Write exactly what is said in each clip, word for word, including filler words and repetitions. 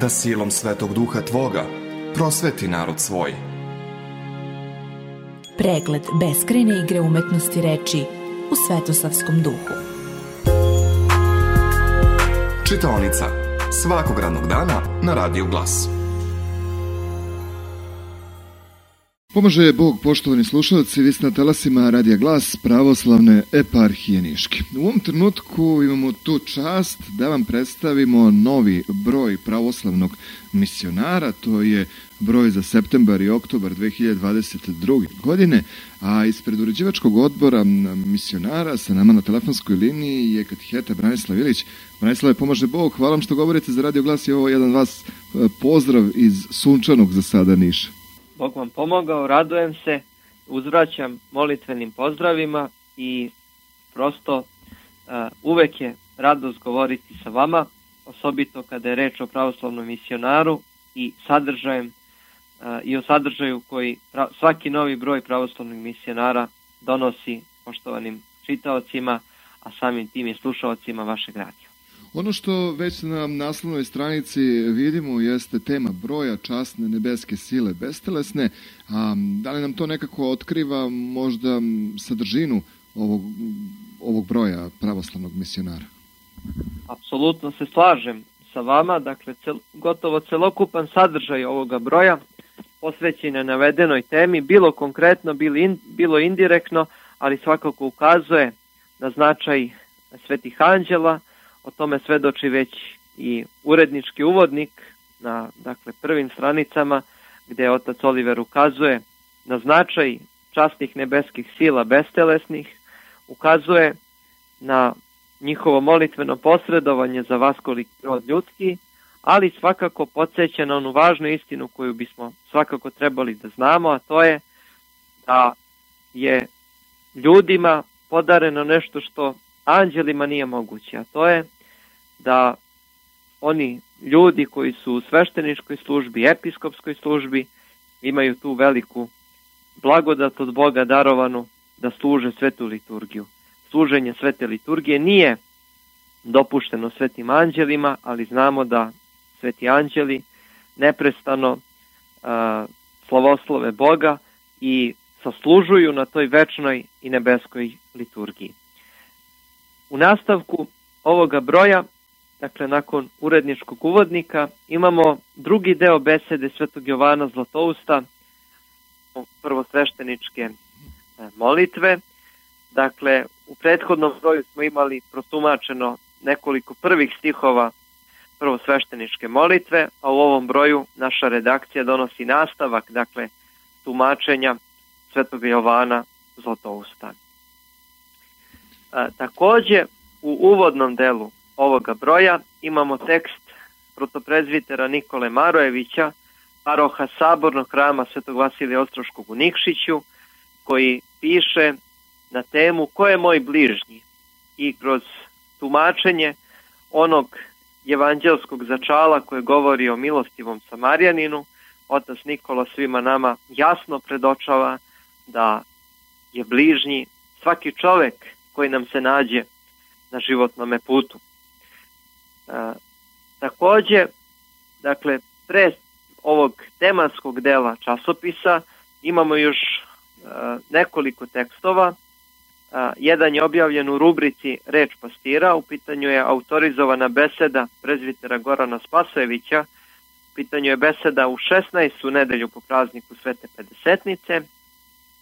da silom Svetog Duha Tvoga prosveti narod svoj. Pregled beskrajne igre umetnosti reči u Svetosavskom duhu. Čitaonica svakog radnog dana na Radiju Glas. Pomaže Bog, poštovani slušalci, vi ste na talasima Radija Glas pravoslavne eparhije Niške. U ovom trenutku imamo tu čast da vam predstavimo novi broj pravoslavnog misionara, to je broj za septembar i oktobar dve hiljade dvadeset druge. godine, a ispred uređivačkog odbora misionara sa nama na telefonskoj liniji je kateheta Branislav Ilić. Branislave, pomaže Bog, hvala vam što govorite za Radio Glas i ovo jedan vas pozdrav iz sunčanog za sada Niša. Bog vam pomogao, radujem se, uzvraćam molitvenim pozdravima i prosto uh, uvek je radost govoriti sa vama, osobito kada je reč o pravoslavnom misionaru i sadržajem uh, i o sadržaju koji pra, svaki novi broj pravoslavnih misionara donosi poštovanim čitaocima, a samim tim i slušaocima vašeg radija. Ono što već na naslovnoj stranici vidimo jeste tema broja časne nebeske sile bestelesne. A da li nam to nekako otkriva možda sadržinu ovog, ovog broja pravoslavnog misionara? Apsolutno se slažem sa vama. Dakle, cel, gotovo celokupan sadržaj ovoga broja posvećen je navedenoj temi, bilo konkretno, bilo, in, bilo indirektno, ali svakako ukazuje na značaj svetih anđela. O tome svedoči već i urednički uvodnik na dakle, prvim stranicama, gdje otac Oliver ukazuje na značaj časnih nebeskih sila bestelesnih, ukazuje na njihovo molitveno posredovanje za vaskoliki rod ljudski, ali svakako podsjeća na onu važnu istinu koju bismo svakako trebali da znamo, a to je da je ljudima podareno nešto što anđelima nije moguće, a to je da oni ljudi koji su u svešteničkoj službi, episkopskoj službi, imaju tu veliku blagodat od Boga darovanu da služe svetu liturgiju. Služenje svete liturgije nije dopušteno svetim anđelima, ali znamo da sveti anđeli neprestano a, slavoslove Boga i saslužuju na toj večnoj i nebeskoj liturgiji. U nastavku ovoga broja, dakle nakon uredničkog uvodnika, imamo drugi deo besede svetog Jovana Zlatousta, prvosvešteničke molitve. Dakle, u prethodnom broju smo imali protumačeno nekoliko prvih stihova prvosvešteničke molitve, a u ovom broju naša redakcija donosi nastavak, dakle, tumačenja svetog Jovana Zlatousta. A, također, u uvodnom delu ovoga broja imamo tekst protoprezvitera Nikole Marojevića, paroha Sabornog hrama Svetog Vasilija Ostroškog u Nikšiću, koji piše na temu ko je moj bližnji, i kroz tumačenje onog evanđelskog začala koje govori o milostivom Samarjaninu, otac Nikola svima nama jasno predočava da je bližnji svaki čovjek koji nam se nađe na životnome putu. E, također, dakle, pre ovog tematskog dela časopisa imamo još e, nekoliko tekstova. E, jedan je objavljen u rubrici Reč pastira, u pitanju je autorizovana beseda prezvitera Gorana Spasojevića, u pitanju je beseda u šesnaestu nedelju po prazniku Svete Pedesetnice,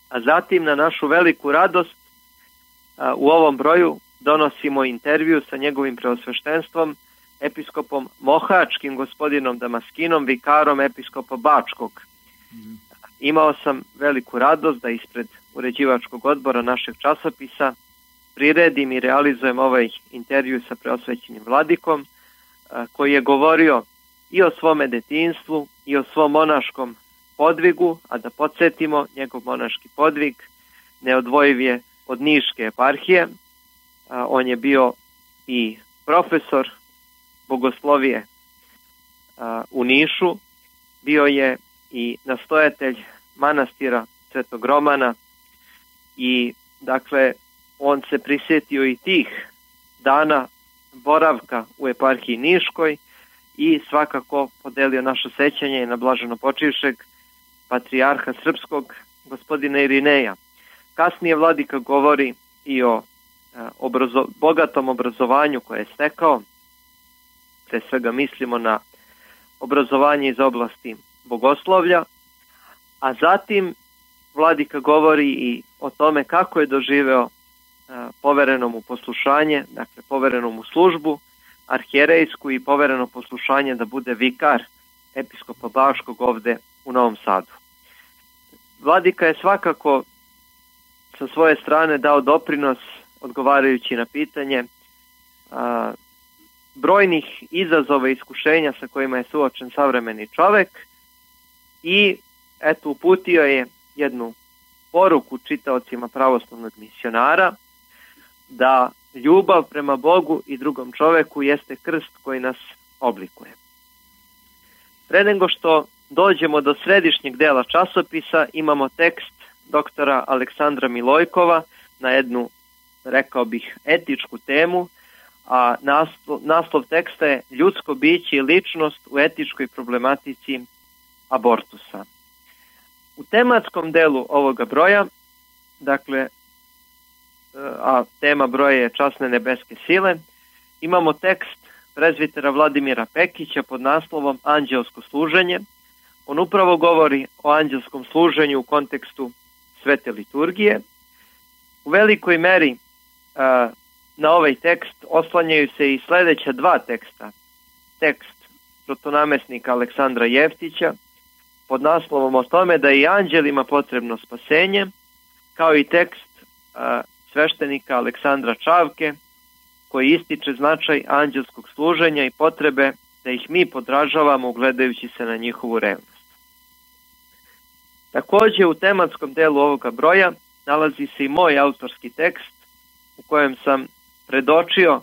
a zatim na našu veliku radost e, u ovom broju donosimo intervju sa njegovim preosveštenstvom, episkopom Mohačkim, gospodinom Damaskinom, vikarom episkopa Bačkog. Mm. Imao sam veliku radost da ispred uređivačkog odbora našeg časopisa priredim i realizujem ovaj intervju sa preosvećenim vladikom, koji je govorio i o svome detinjstvu i o svom monaškom podvigu, a da podsjetimo, njegov monaški podvig neodvojiv je od Niške eparhije. On je bio i profesor bogoslovije u Nišu, bio je i nastojatelj manastira Svetog Romana i dakle on se prisjetio i tih dana boravka u eparhiji Niškoj i svakako podelio naše sećanje na blaženopočivšeg patrijarha srpskog gospodina Irineja. Kasnije vladika govori i o obrazo, bogatom obrazovanju koje je stekao, pre svega mislimo na obrazovanje iz oblasti bogoslovlja, a zatim vladika govori i o tome kako je doživeo povereno mu poslušanje, dakle povereno mu službu arhijerejsku i povereno poslušanje da bude vikar episkopa Baškog ovde u Novom Sadu. Vladika je svakako sa svoje strane dao doprinos odgovarajući na pitanje a, brojnih izazova i iskušenja sa kojima je suočen savremeni čovek i eto uputio je jednu poruku čitaocima pravoslavnog misionara da ljubav prema Bogu i drugom čoveku jeste krst koji nas oblikuje. Pre nego što dođemo do središnjeg dela časopisa, imamo tekst doktora Aleksandra Milojkova na jednu, rekao bih, etičku temu, a naslov, naslov teksta je Ljudsko biće i ličnost u etičkoj problematici abortusa. U tematskom delu ovoga broja, dakle, a tema broja je Časne nebeske sile, imamo tekst prezbitera Vladimira Pekića pod naslovom Anđelsko služenje. On upravo govori o anđelskom služenju u kontekstu svete liturgije. U velikoj meri a, na ovaj tekst oslanjaju se i sledeća dva teksta. Tekst protonamesnika Aleksandra Jeftića pod naslovom o tome da je i anđelima potrebno spasenje, kao i tekst a, sveštenika Aleksandra Čavke koji ističe značaj anđelskog služenja i potrebe da ih mi podražavamo gledajući se na njihovu revnost. Takođe u tematskom delu ovoga broja nalazi se i moj autorski tekst u kojem sam predočio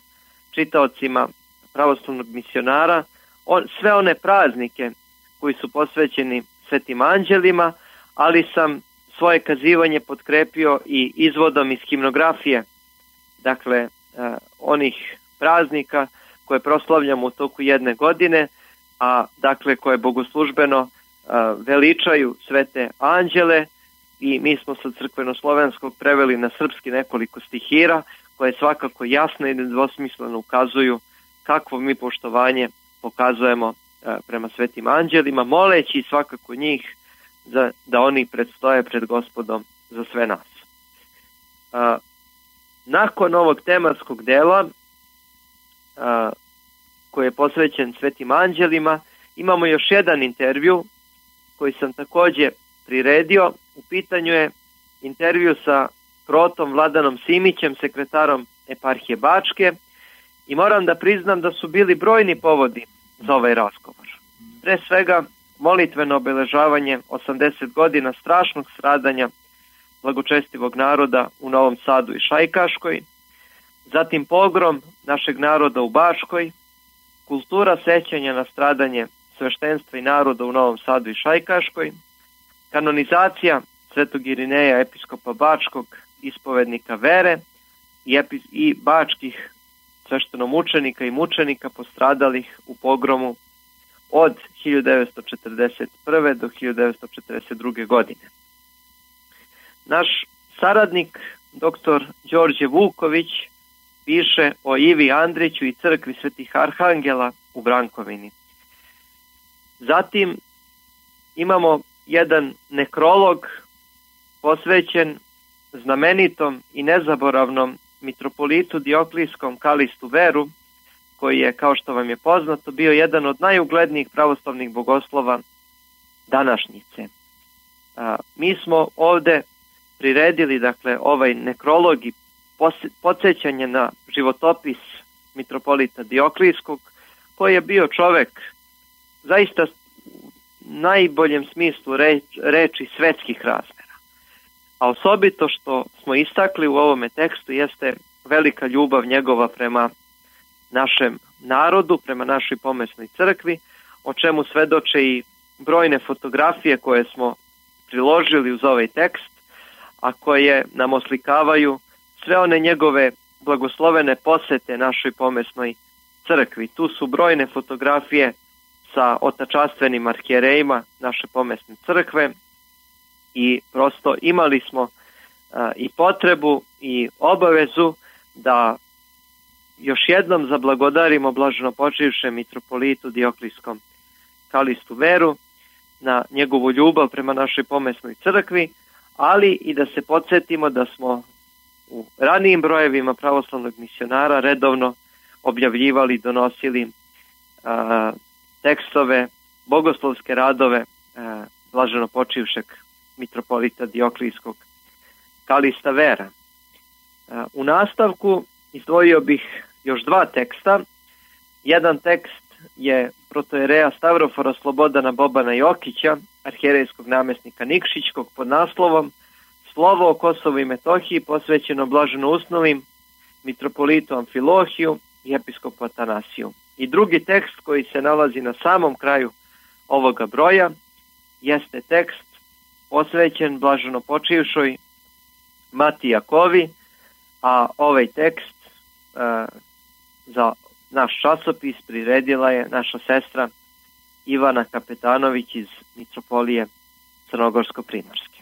čitaocima pravoslavnog misionara on, sve one praznike koji su posvećeni svetim anđelima, ali sam svoje kazivanje potkrepio i izvodom iz himnografije, dakle eh, onih praznika koje proslavljamo u toku jedne godine, a dakle koje bogoslužbeno eh, veličaju svete anđele, i mi smo sa crkveno-slovenskog preveli na srpski nekoliko stihira koje svakako jasno i nedvosmisleno ukazuju kakvo mi poštovanje pokazujemo eh, prema svetim anđelima, moleći svakako njih za, da oni predstoje pred Gospodom za sve nas. A, nakon ovog tematskog dela a, koji je posvećen svetim anđelima, imamo još jedan intervju koji sam takođe priredio. U pitanju je intervju sa protom Vladanom Simićem, sekretarom eparhije Bačke, i moram da priznam da su bili brojni povodi za ovaj razgovor. Pre svega molitveno obeležavanje osamdeset godina strašnog stradanja blagočestivog naroda u Novom Sadu i Šajkaškoj, zatim pogrom našeg naroda u Bačkoj, kultura sećanja na stradanje sveštenstva i naroda u Novom Sadu i Šajkaškoj, kanonizacija svetog Irineja, episkopa Bačkog, ispovednika vere i, epi, i bačkih sveštenomučenika i mučenika postradalih u pogromu od hiljadu devetsto četrdeset prve do hiljadu devetsto četrdeset druge. godine. Naš saradnik, doktor Đorđe Vuković, piše o Ivi Andriću i crkvi svetih arhangela u Brankovini. Zatim imamo jedan nekrolog posvećen znamenitom i nezaboravnom mitropolitu Dioklijskom Kalistu Veru, koji je, kao što vam je poznato, bio jedan od najuglednijih pravoslavnih bogoslova današnjice. A, mi smo ovde priredili, dakle, ovaj nekrolog i podsjećanje na životopis mitropolita Dioklijskog, koji je bio čovek zaista u najboljem smislu reč, reči svetskih razmera. A osobito što smo istakli u ovome tekstu jeste velika ljubav njegova prema našem narodu, prema našoj pomesnoj crkvi, o čemu svedoče i brojne fotografije koje smo priložili uz ovaj tekst, a koje nam oslikavaju sve one njegove blagoslovene posete našoj pomesnoj crkvi. Tu su brojne fotografije sa otačastvenim arhijerejima naše pomesne crkve i prosto imali smo a, i potrebu i obavezu da još jednom zablagodarimo blaženopočivšem mitropolitu Dioklijskom Kalistu Veru na njegovu ljubav prema našoj pomesnoj crkvi, ali i da se podsjetimo da smo u ranijim brojevima pravoslavnog misionara redovno objavljivali, donosili a, tekstove, bogoslovske radove a, blaženopočivšeg mitropolita Dioklijskog Kalista Vera. A, u nastavku izdvojio bih još dva teksta. Jedan tekst je protojereja Stavrofora Slobodana Bobana Jokića, arhijerejskog namjesnika Nikšićkog, pod naslovom Slovo o Kosovu i Metohiji posvećeno blaženousnovim mitropolitu Amfilohiju i episkopu Atanasiju. I drugi tekst koji se nalazi na samom kraju ovoga broja jeste tekst posvećen blaženopočivšoj Mati Jakovi, a ovaj tekst e, za naš časopis priredila je naša sestra Ivana Kapetanović iz Mitropolije Crnogorsko-Primorske.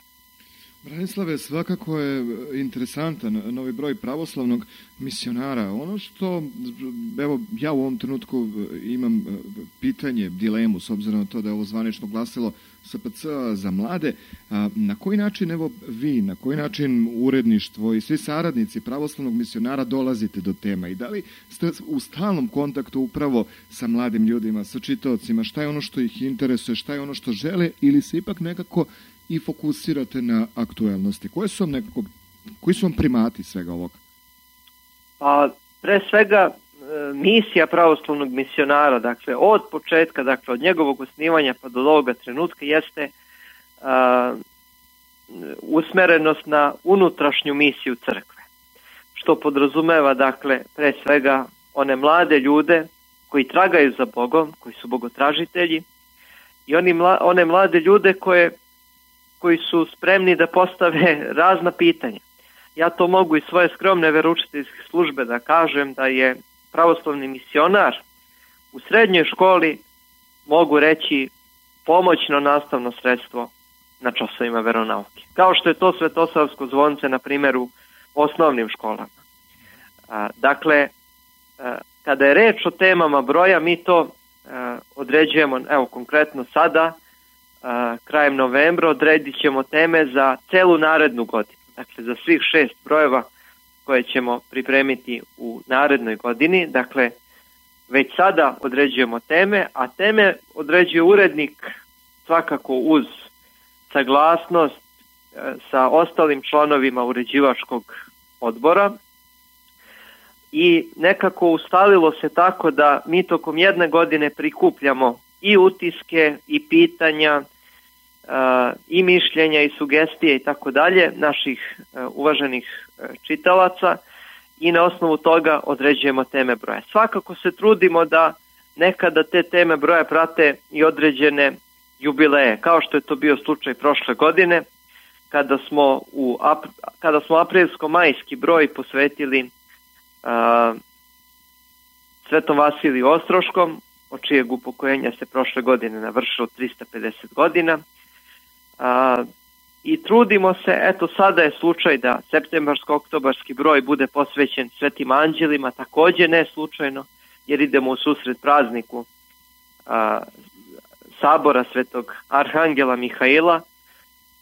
Branislave, svakako je interesantan novi broj pravoslavnog misionara. Ono što, evo, ja u ovom trenutku imam pitanje, dilemu, s obzirom na to da je ovo zvanično glasilo S P C za mlade, a na koji način, evo, vi, na koji način uredništvo i svi saradnici pravoslavnog misionara dolazite do tema i da li ste u stalnom kontaktu upravo sa mladim ljudima, sa čitaocima, šta je ono što ih interesuje, šta je ono što žele, ili se ipak nekako i fokusirate na aktuelnosti? Koje su vam nekako, koji su vam primati svega ovoga? Pa, pre svega, misija pravoslavnog misionara, dakle, od početka, dakle, od njegovog osnivanja pa do ovoga trenutka jeste a, usmerenost na unutrašnju misiju crkve. Što podrazumeva, dakle, pre svega one mlade ljude koji tragaju za Bogom, koji su bogotražitelji i oni mla, one mlade ljude koje koji su spremni da postave razna pitanja. Ja to mogu iz svoje skromne veroučiteljske službe da kažem da je pravoslavni misionar u srednjoj školi, mogu reći, pomoćno nastavno sredstvo na časovima veronauke. Kao što je to Svetosavsko zvonce, na primjer, u osnovnim školama. A, dakle, a, kada je reč o temama broja, mi to a, određujemo, evo konkretno sada, a, krajem novembra, odredit ćemo teme za celu narednu godinu. Dakle, za svih šest brojeva koje ćemo pripremiti u narednoj godini. Dakle, već sada određujemo teme, a teme određuje urednik svakako uz saglasnost e, sa ostalim članovima uređivačkog odbora i nekako ustalilo se tako da mi tokom jedne godine prikupljamo i utiske i pitanja Uh, i mišljenja i sugestije i tako dalje naših uh, uvaženih uh, čitalaca i na osnovu toga određujemo teme broja. Svakako se trudimo da nekada te teme broja prate i određene jubileje, kao što je to bio slučaj prošle godine, kada smo u ap, kada smo aprilsko-majski broj posvetili uh, Svetom Vasiliju Ostroškom, od čijeg upokojenja se prošle godine navršilo trista pedeset godina. A, i trudimo se, eto sada je slučaj da septembarsko-oktobarski broj bude posvećen Svetim anđelima, također ne slučajno, jer idemo u susret prazniku a, sabora Svetog Arhangela Mihaila,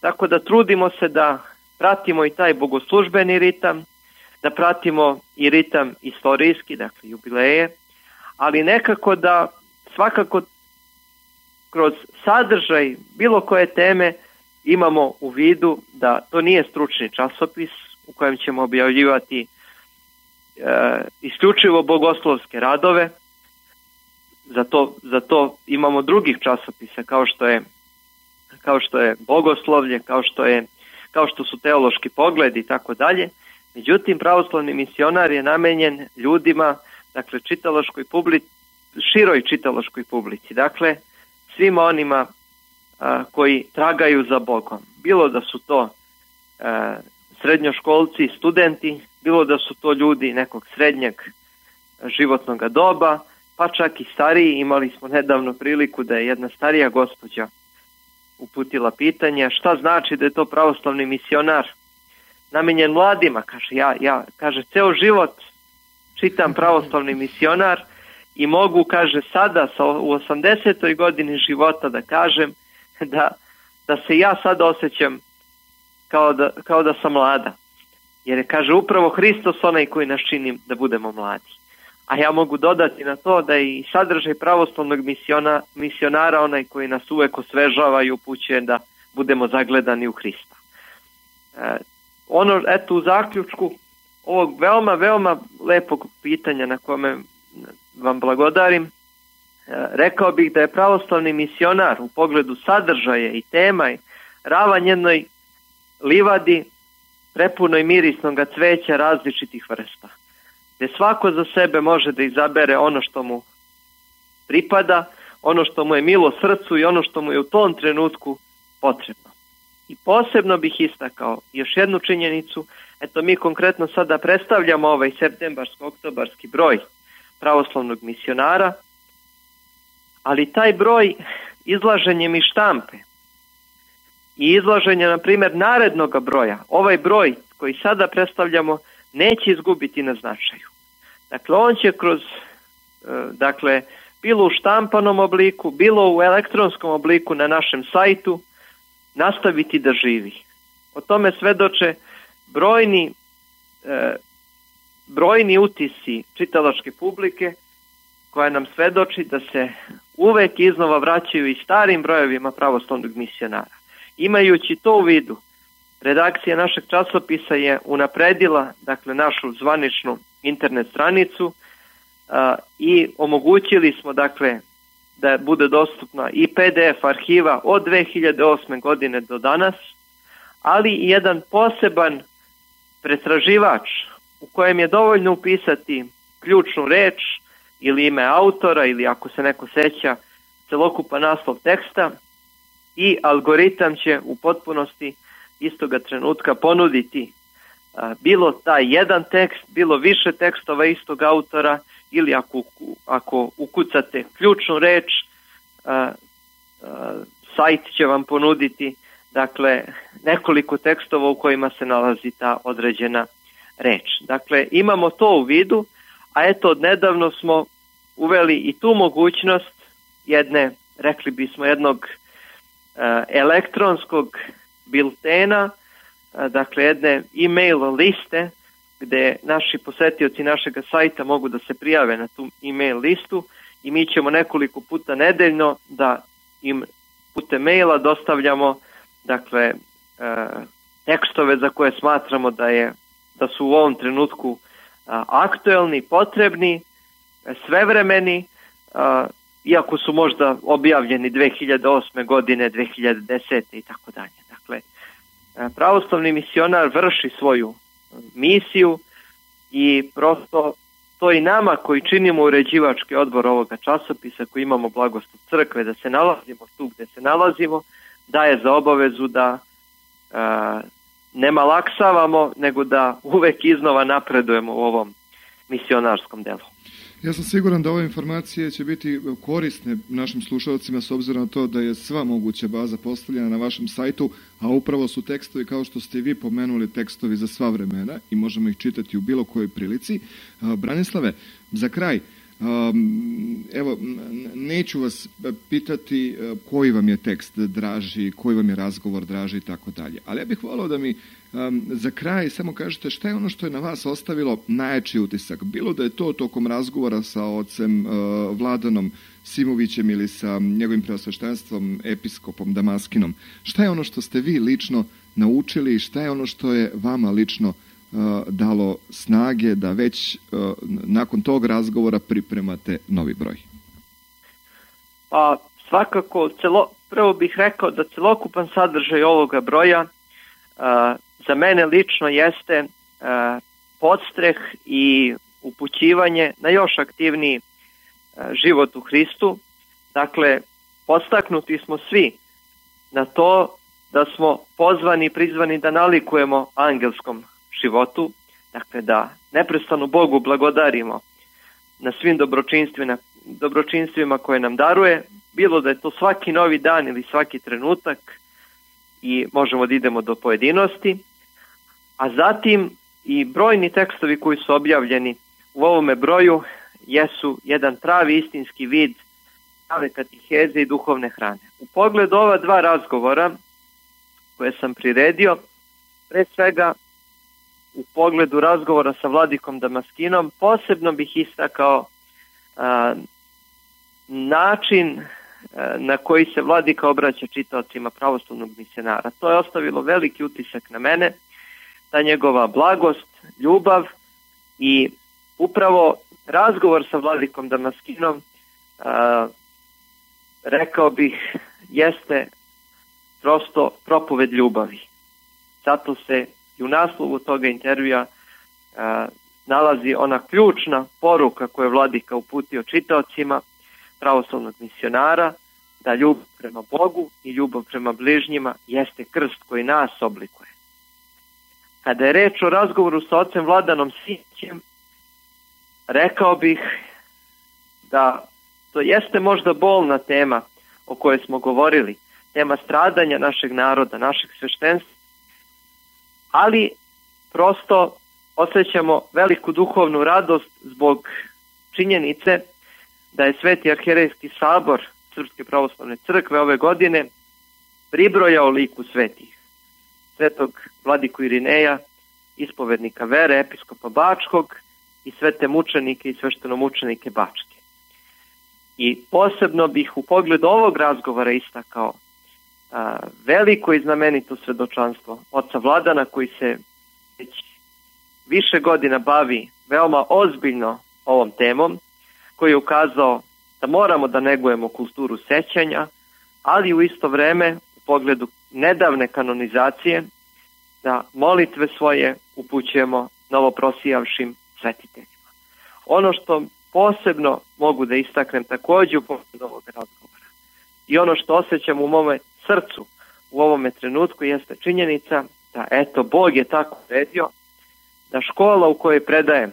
tako da trudimo se da pratimo i taj bogoslužbeni ritam, da pratimo i ritam istorijski, dakle jubileje, ali nekako da svakako kroz sadržaj bilo koje teme imamo u vidu da to nije stručni časopis u kojem ćemo objavljivati e, isključivo bogoslovske radove. Za to, za to imamo drugih časopisa kao što je kao što je bogoslovlje, kao što je kao što su teološki pogledi i tako dalje. Međutim, pravoslavni misionar je namenjen ljudima, dakle čitalaškoj publici, široj čitalaškoj publici, dakle svima onima a, koji tragaju za Bogom. Bilo da su to a, srednjoškolci, studenti, bilo da su to ljudi nekog srednjeg životnog doba, pa čak i stariji. Imali smo nedavno priliku da je jedna starija gospođa uputila pitanje šta znači da je to pravoslavni misionar namenjen mladima. Kaže, ja, ja, kaže, ceo život čitam pravoslavni misionar i mogu, kaže, sada sa, u osamdesetoj godini života da kažem da, da se ja sada osjećam kao da, kao da sam mlada. Jer je, kaže, upravo Hristos onaj koji nas čini da budemo mladi. A ja mogu dodati na to da je i sadržaj pravoslavnog misiona, misionara onaj koji nas uvek osvežava i upućuje da budemo zagledani u Hrista. E, ono, eto, u zaključku ovog veoma, veoma lepog pitanja na kome vam blagodarim, e, rekao bih da je pravoslavni misionar u pogledu sadržaja i tema ravan jednoj livadi prepunoj mirisnog cveća različitih vrsta, gdje svako za sebe može da izabere ono što mu pripada, ono što mu je milo srcu i ono što mu je u tom trenutku potrebno. I posebno bih istakao još jednu činjenicu, eto mi konkretno sada predstavljamo ovaj septembarsko-oktobarski broj pravoslavnog misionara, ali taj broj izlaženjem i štampe i izlaženje, na primjer, narednog broja, ovaj broj koji sada predstavljamo neće izgubiti na značaju. Dakle, on će kroz, dakle, bilo u štampanom obliku, bilo u elektronskom obliku na našem sajtu, nastaviti da živi. O tome svedoče brojni, e, brojni utisci čitalačke publike koja nam svedoči da se uvek iznova vraćaju i starim brojevima pravoslavnog misionara. Imajući to u vidu, redakcija našeg časopisa je unapredila, dakle, našu zvaničnu internet stranicu a, i omogućili smo, dakle, da bude dostupna i P D F arhiva od dve hiljade osme godine do danas, ali i jedan poseban pretraživač u kojem je dovoljno upisati ključnu reč ili ime autora ili, ako se neko seća, celokupan naslov teksta i algoritam će u potpunosti istoga trenutka ponuditi a, bilo taj jedan tekst, bilo više tekstova istog autora, ili ako, ako ukucate ključnu reč, a, a, sajt će vam ponuditi, dakle, nekoliko tekstova u kojima se nalazi ta određena reč. Dakle, imamo to u vidu, a eto, odnedavno smo uveli i tu mogućnost jedne, rekli bismo, jednog a, elektronskog biltena, a, dakle, jedne e-mail liste, gde naši posetioci našeg sajta mogu da se prijave na tu e-mail listu i mi ćemo nekoliko puta nedeljno da im putem maila dostavljamo, dakle, e, tekstove za koje smatramo da je da su u ovom trenutku a, aktuelni, potrebni, svevremeni, a, iako su možda objavljeni dve hiljade osme godine, dve hiljade desete i tako dalje. Dakle, a, pravoslavni misionar vrši svoju misiju i prosto to i nama koji činimo uređivački odbor ovoga časopisa, koji imamo blagoslov crkve da se nalazimo tu gde se nalazimo, daje za obavezu da a, ne malaksavamo, nego da uvek iznova napredujemo u ovom misionarskom delu. Ja sam siguran da ove informacije će biti korisne našim slušalcima s obzirom na to da je sva moguća baza postavljena na vašem sajtu, a upravo su tekstovi, kao što ste vi pomenuli, tekstovi za sva vremena i možemo ih čitati u bilo kojoj prilici. Branislave, za kraj, evo, neću vas pitati koji vam je tekst draži, koji vam je razgovor draži i tako dalje, ali ja bih volao da mi Um, za kraj samo kažete šta je ono što je na vas ostavilo najjači utisak, bilo da je to tokom razgovora sa ocem uh, Vladanom Simovićem ili sa njegovim preosveštenstvom episkopom Damaskinom. Šta je ono što ste vi lično naučili i šta je ono što je vama lično uh, dalo snage da već uh, nakon tog razgovora pripremate novi broj? Pa svakako, celo, prvo bih rekao da celokupan sadržaj ovoga broja uh, za mene lično jeste uh, podstreh i upućivanje na još aktivniji uh, život u Hristu. Dakle, podstaknuti smo svi na to da smo pozvani i prizvani da nalikujemo angelskom životu, dakle da neprestano Bogu blagodarimo na svim dobročinstvima, dobročinstvima koje nam daruje, bilo da je to svaki novi dan ili svaki trenutak, i možemo da idemo do pojedinosti, a zatim i brojni tekstovi koji su objavljeni u ovome broju jesu jedan pravi istinski vid prave katiheze i duhovne hrane. U pogledu ova dva razgovora koje sam priredio, pre svega u pogledu razgovora sa vladikom Damaskinom, posebno bih istakao a, način a, na koji se vladika obraća čitaocima pravoslavnog misionara. To je ostavilo veliki utisak na mene, ta njegova blagost, ljubav, i upravo razgovor sa vladikom Damaskinom, a, rekao bih, jeste prosto propoved ljubavi. Zato se i u naslovu toga intervjua a, nalazi ona ključna poruka koju je vladika uputio čitaocima pravoslavnog misionara, da ljubav prema Bogu i ljubav prema bližnjima jeste krst koji nas oblikuje. Kada je reč o razgovoru sa ocem Vladanom Simićem, rekao bih da to jeste možda bolna tema o kojoj smo govorili, tema stradanja našeg naroda, našeg sveštenstva, ali prosto osjećamo veliku duhovnu radost zbog činjenice da je Sveti arhijerejski sabor Srpske pravoslavne crkve ove godine pribrojao liku svetih: svetog vladiku Irineja, ispovednika vere, episkopa Bačkog, i svete mučenike i sveštenomučenike Bačke. I posebno bih u pogledu ovog razgovora istakao a, veliko i znamenito svedočanstvo oca Vladana, koji se već više godina bavi veoma ozbiljno ovom temom, koji je ukazao da moramo da negujemo kulturu sećanja, ali u isto vreme u pogledu nedavne kanonizacije da molitve svoje upućujemo novoprosijavšim svetiteljima. Ono što posebno mogu da istaknem također u pogledu ovog razgovora i ono što osjećam u mome srcu u ovome trenutku jeste činjenica da eto Bog je tako uredio da škola u kojoj predajem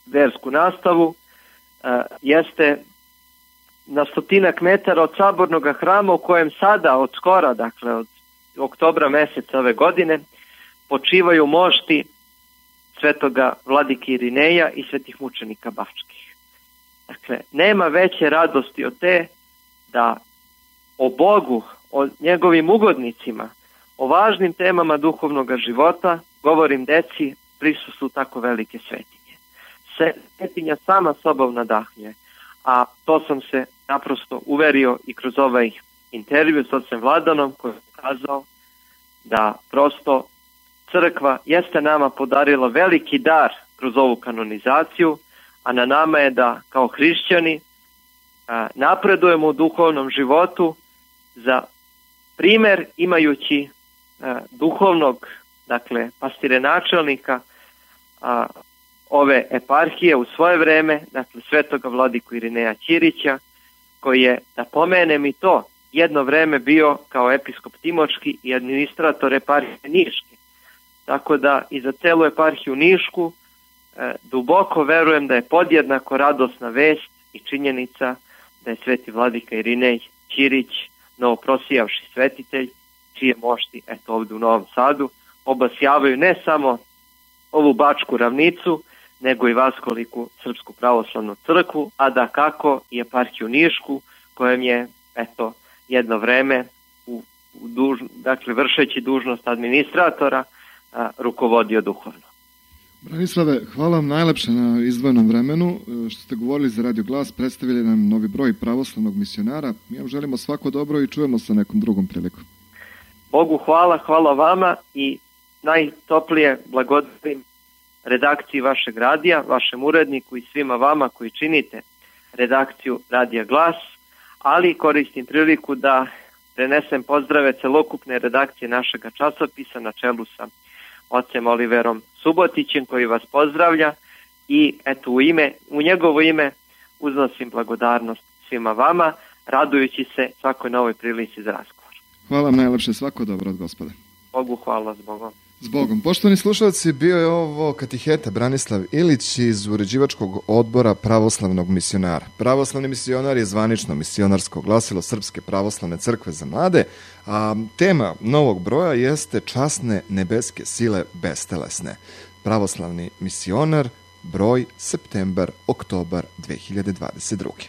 versku nastavu uh, jeste na stotinak metara od sabornog hrama u kojem sada od skora, dakle od oktobra meseca ove godine, počivaju mošti svetoga vladike Irineja i svetih mučenika Bačkih. Dakle, nema veće radosti od te da o Bogu, o njegovim ugodnicima, o važnim temama duhovnog života govorim deci prisustvu tako velike svetinje. Svetinja sama sobom nadahnjuje, a to sam se naprosto uverio i kroz ovaj intervju s ocem Vladanom, koji je kazao da prosto crkva jeste nama podarila veliki dar kroz ovu kanonizaciju, a na nama je da kao hrišćani a, napredujemo u duhovnom životu za primer imajući a, duhovnog, dakle pastirenačelnika a, ove eparhije u svoje vreme, dakle svetoga vladiku Irineja Ćirića, koji je, da pomenem i to, jedno vreme bio kao episkop Timočki i administrator eparhije Niške. Tako da i za celu eparhiju Nišku e, duboko verujem da je podjednako radosna vest i činjenica da je sveti vladika Irinej Ćirić, novoprosijavši svetitelj, čije mošti eto ovdje u Novom Sadu obasjavaju ne samo ovu Bačku ravnicu, nego i vaskoliku Srpsku pravoslavnu crkvu, a da kako i eparhiju Nišku, kojem je eto jedno vreme u, u duž, dakle vršeći dužnost administratora a, rukovodio duhovno. Branislave, hvala vam najlepše na izdvojenom vremenu što ste govorili za Radio Glas, predstavili nam novi broj pravoslavnog misionara. Mi vam želimo svako dobro i čujemo se nekom drugom prilikom. Bogu hvala, hvala vama i najtoplije blagodarim redakciji vašeg radija, vašem uredniku i svima vama koji činite redakciju Radija Glas, ali koristim priliku da prenesem pozdrave celokupne redakcije našega časopisa na čelu sa ocem Oliverom Subotićem, koji vas pozdravlja i eto u ime, u njegovo ime uznosim blagodarnost svima vama, radujući se svakoj novoj prilici za razgovor. Hvala vam najlepše, svako dobro od Gospoda. Bogu hvala, s Bogom. Zbogom. Poštovani slušalci, bio je ovo katiheta Branislav Ilić iz uređivačkog odbora Pravoslavnog misionara. Pravoslavni misionar je zvanično misionarsko glasilo Srpske pravoslavne crkve za mlade, a tema novog broja jeste Časne nebeske sile bestelesne. Pravoslavni misionar, broj septembar-oktobar dve hiljade dvadeset druge.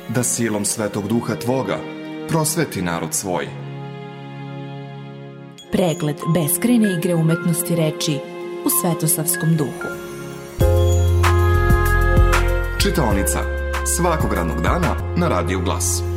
Da silom Svetog Duha Tvoga prosveti narod svoj. Pregled beskrajne igre umetnosti reči u Svetosavskom duhu. Čitaonica svakog radnog dana na Radiju Glas.